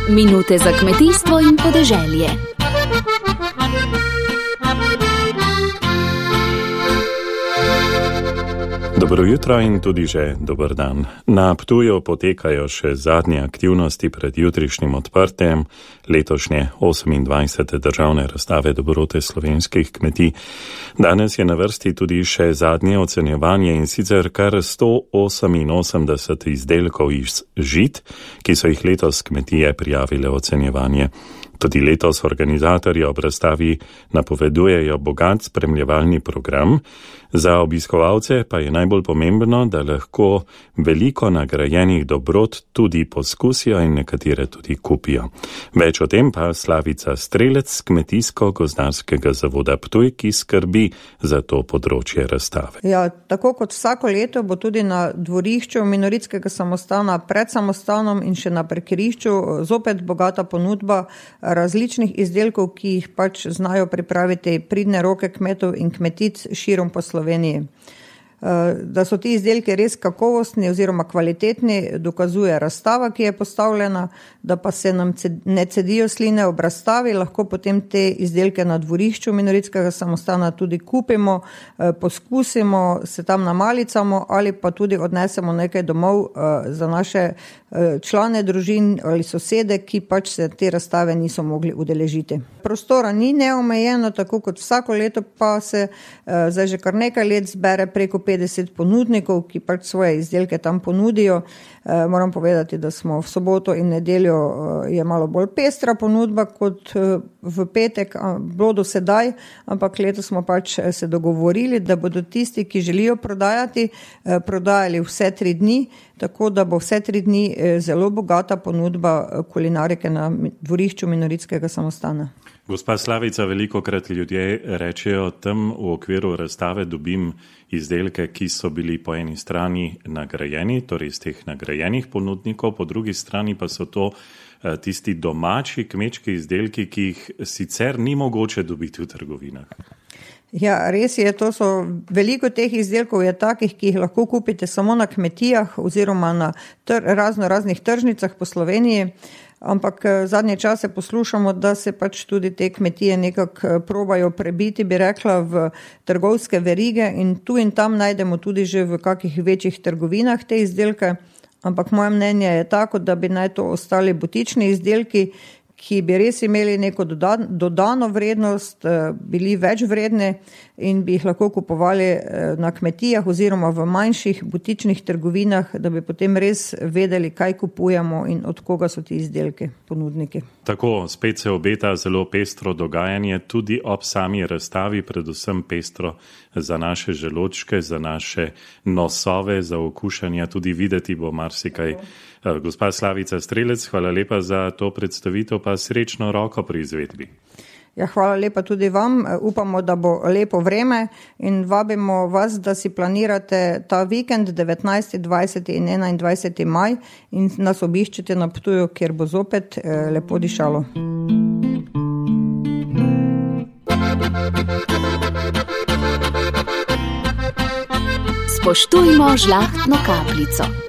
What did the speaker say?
Minute za kmetijstvo in podeželje. Dobro jutro in tudi že dober dan. Na Ptuju potekajo še zadnje aktivnosti pred jutrišnjim odprtjem letošnje 28. državne razstave dobrote slovenskih kmetij. Danes je na vrsti tudi še zadnje ocenjevanje in sicer kar 188 izdelkov iz žit, ki so jih letos kmetije prijavile ocenjevanje. Tudi letos organizatorji ob razstavi napovedujejo bogat spremljevalni program. Za obiskovalce pa je najbolj pomembno, da lahko veliko nagrajenih dobrot tudi poskusijo in nekatere tudi kupijo. Več o tem pa Slavica Strelec z Kmetijsko-gozdarskega zavoda Ptuj, ki skrbi za to področje razstave. Ja, tako kot vsako leto bo tudi na dvorišču Minoritskega samostana pred samostanom in še na parkirišču zopet bogata ponudba različnih izdelkov, ki jih pač znajo pripraviti pridne roke kmetov in kmetic širom po Sloveniji. Da so ti izdelki res kakovostni oziroma kvalitetni, dokazuje razstava, ki je postavljena, da pa se nam ne cedijo sline ob razstavi, lahko potem te izdelke na dvorišču Minoritskega samostana tudi kupimo, poskusimo, se tam namalicamo ali pa tudi odnesemo nekaj domov za naše člane družin ali sosede, ki pač se te razstave niso mogli udeležiti. Prostora ni neomejeno, tako kot vsako leto pa se zdaj že kar nekaj let zbere preko 50 ponudnikov, ki pač svoje izdelke tam ponudijo. Moram povedati, da smo v soboto in nedeljo je malo bolj pestra ponudba kot v petek, bilo do sedaj, ampak letos smo pač se dogovorili, da bodo tisti, ki želijo prodajati, prodajali vse 3 dni, tako da bo vse 3 dni zelo bogata ponudba kulinarike na dvorišču Minoritskega samostana. Gospa Slavica, velikokrat ljudje rečejo, tam v okviru razstave dobim izdelke, ki so bili po eni strani nagrajeni, torej iz teh nagrajenih ponudnikov, po drugi strani pa so to tisti domači kmečki izdelki, ki jih sicer ni mogoče dobiti v trgovinah. Ja, res je, to so veliko teh izdelkov je takih, ki jih lahko kupite samo na kmetijah oziroma na raznih tržnicah po Sloveniji. Ampak zadnje čase poslušamo, da se pač tudi te kmetije nekako probajo prebiti, bi rekla, v trgovske verige in tu in tam najdemo tudi že v kakih večjih trgovinah te izdelke. Ampak moje mnenje je tako, da bi naj to ostali butični izdelki, ki bi res imeli neko dodano vrednost, bili več vredne in bi jih lahko kupovali na kmetijah oziroma v manjših butičnih trgovinah, da bi potem res vedeli, kaj kupujemo in od koga so ti izdelki, ponudniki. Tako, spet se obeta zelo pestro dogajanje, tudi ob sami razstavi, predvsem pestro za naše želodčke, za naše nosove, za okušanja, tudi videti bo marsikaj. Gospa Slavica Strelec, hvala lepa za to predstavitev, pa srečno roko pri izvedbi. Ja, hvala lepa tudi vam. Upamo, da bo lepo vreme in vabimo vas, da si planirate ta vikend 19., 20. in 21. maj in nas obiščite na Ptuju, kjer bo zopet lepo dišalo. Spoštujmo žlahtno kapljico.